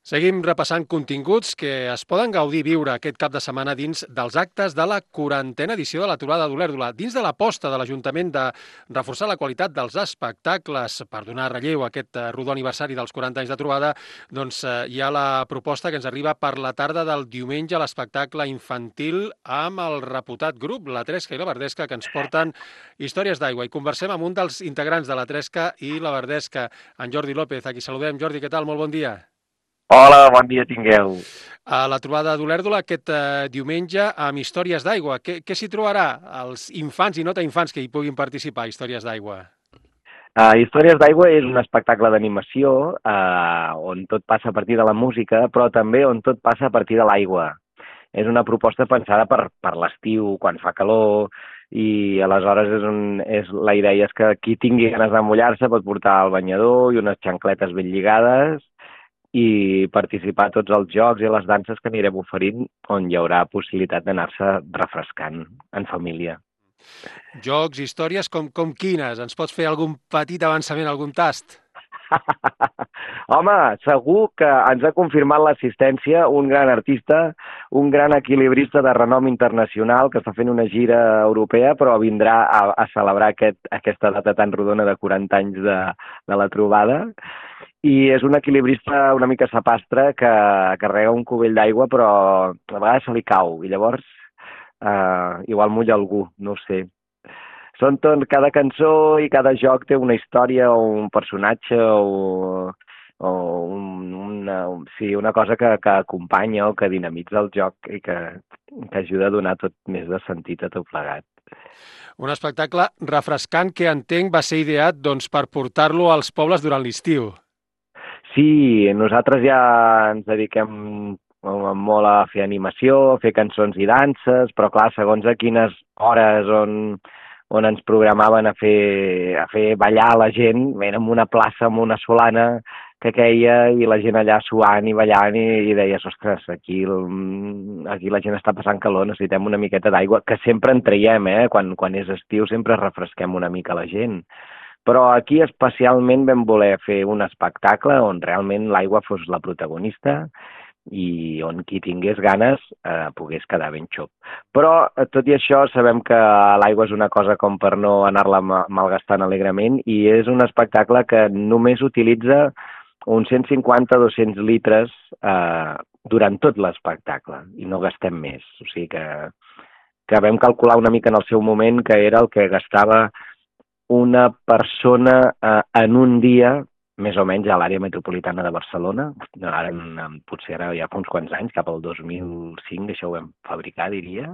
Seguim repassant continguts que es poden gaudir i viure aquest cap de setmana dins dels actes de la 40a edició de la Trobada d'Olèrdola. Dins de l'aposta de l'Ajuntament de reforçar la qualitat dels espectacles per donar relleu a aquest rodó aniversari dels 40 anys de trobada, doncs hi ha la proposta que ens arriba per la tarda del diumenge, l'espectacle infantil amb el reputat grup, la Tresca i la Verdesca, que ens porten històries d'aigua. I conversem amb un dels integrants de la Tresca i la Verdesca, en Jordi López. Aquí saludem. Jordi, què tal? Molt bon dia. Hola, bon dia tingueu. A la trobada d'Olèrdola aquest diumenge amb històries d'aigua. Què s'hi trobarà? Els infants i no tan infants que hi puguin participar, històries d'aigua. Històries d'aigua és un espectacle d'animació on tot passa a partir de la música, però també on tot passa a partir de l'aigua. És una proposta pensada per l'estiu, quan fa calor, i aleshores la idea és que qui tingui ganes de mullar-se pot portar el banyador i unes xancletes ben lligades i participar a tots els jocs i les danses que anirem oferint, on hi haurà possibilitat d'anar-se refrescant en família. Jocs, històries com quines? Ens pots fer algun petit avançament, algun tast? Home, segur que ens ha confirmat l'assistència un gran artista, un gran equilibrista de renom internacional que està fent una gira europea, però vindrà a celebrar aquesta data tan rodona de 40 anys de la trobada. I és un equilibrista una mica sapastre que carrega un cubell d'aigua, però a vegades se li cau, i llavors igual mulla algú, no ho sé. Cada cançó i cada joc té una història o un personatge o una cosa que acompanya o que dinamitza el joc i que ajuda a donar tot més de sentit a tot plegat. Un espectacle refrescant que entenc va ser ideat doncs, per portar-lo als pobles durant l'estiu. Sí, nosaltres ja ens dediquem molt a fer animació, a fer cançons i danses, però clar, segons a quines hores on ens programaven a fer ballar la gent, érem una plaça amb una solana que queia i la gent allà suant i ballant i deies, ostres, aquí la gent està passant calor, necessitem una miqueta d'aigua, que sempre en traiem, quan és estiu sempre refresquem una mica la gent. Però aquí especialment vam voler fer un espectacle on realment l'aigua fos la protagonista i on qui tingués ganes pogués quedar ben xop. Però, tot i això, sabem que l'aigua és una cosa com per no anar-la malgastant alegrement i és un espectacle que només utilitza uns 150-200 litres durant tot l'espectacle i no gastem més. O sigui que vam calcular una mica en el seu moment que era el que gastava una persona en un dia més o menys a l'àrea metropolitana de Barcelona. Potser ara ja fa uns quants anys, cap al 2005, això ho vam fabricar, diria.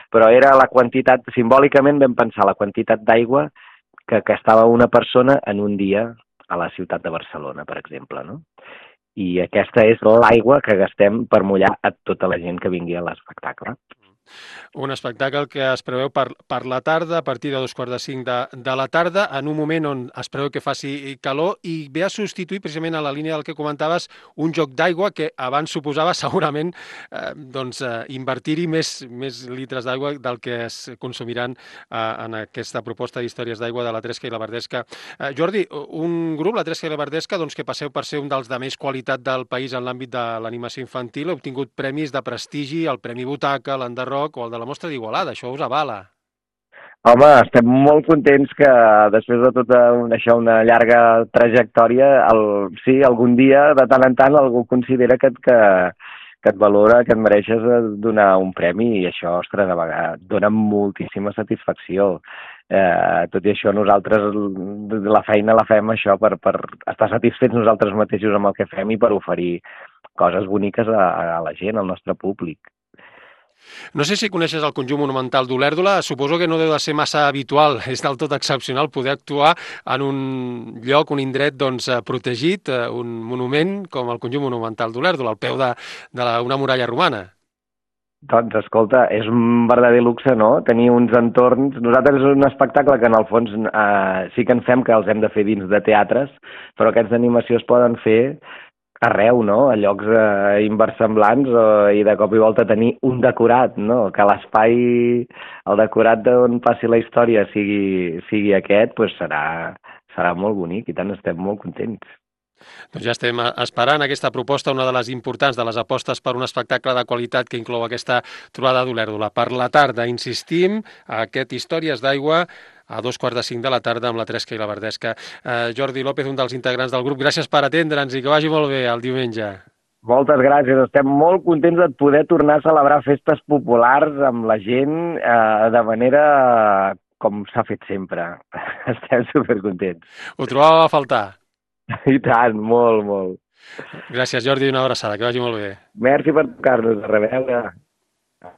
Però era la quantitat, simbòlicament vam pensar la quantitat d'aigua que gastava una persona en un dia a la ciutat de Barcelona, per exemple, no? I aquesta és l'aigua que gastem per mullar a tota la gent que vingui a l'espectacle. Un espectacle que es preveu per la tarda, a partir de 2:45 de la tarda, en un moment on es preveu que faci calor i ve a substituir, precisament a la línia del que comentaves, un joc d'aigua que abans suposava segurament invertir-hi més litres d'aigua del que es consumiran en aquesta proposta d'històries d'aigua de la Tresca i la Verdesca. Jordi, un grup, la Tresca i la Verdesca, doncs, que passeu per ser un dels de més qualitat del país en l'àmbit de l'animació infantil, heu obtingut premis de prestigi, el Premi Butaca, l'Enderroc o el de la Mostra d'Igualada, això us avala. Home, estem molt contents que després de tota una llarga trajectòria, sí, algun dia, de tant en tant, algú considera que et valora, que et mereixes donar un premi i això, ostres, a vegades dona moltíssima satisfacció. Tot i això, nosaltres la feina la fem això per estar satisfets nosaltres mateixos amb el que fem i per oferir coses boniques a la gent, al nostre públic. No sé si coneixes el conjunt monumental d'Olèrdola, suposo que no deu de ser massa habitual, és del tot excepcional poder actuar en un lloc, un indret protegit, un monument com el conjunt monumental d'Olèrdola, al peu d'una muralla romana. Doncs, escolta, és un verdader luxe, no?, tenir uns entorns. Nosaltres és un espectacle que, en el fons, sí que ens fem que els hem de fer dins de teatres, però aquests d'animació es poden fer arreu, no?, a llocs inversemblants i de cop i volta tenir un decorat, no?, que l'espai, el decorat d'on passi la història sigui aquest, doncs serà molt bonic i tant estem molt contents. Doncs ja estem esperant aquesta proposta, una de les importants, de les apostes per un espectacle de qualitat que inclou aquesta trobada d'Olèrdola. Per la tarda, insistim, aquest Històries d'Aigua a 2:45 de la tarda amb la Tresca i la Verdesca. Jordi López, un dels integrants del grup, gràcies per atendre'ns i que vagi molt bé el diumenge. Moltes gràcies, estem molt contents de poder tornar a celebrar festes populars amb la gent de manera com s'ha fet sempre. Estem supercontents. Ho trobàvem a faltar. I tant, molt, molt. Gràcies, Jordi, una abraçada, que vagi molt bé. Merci per tocar-nos, a reveure.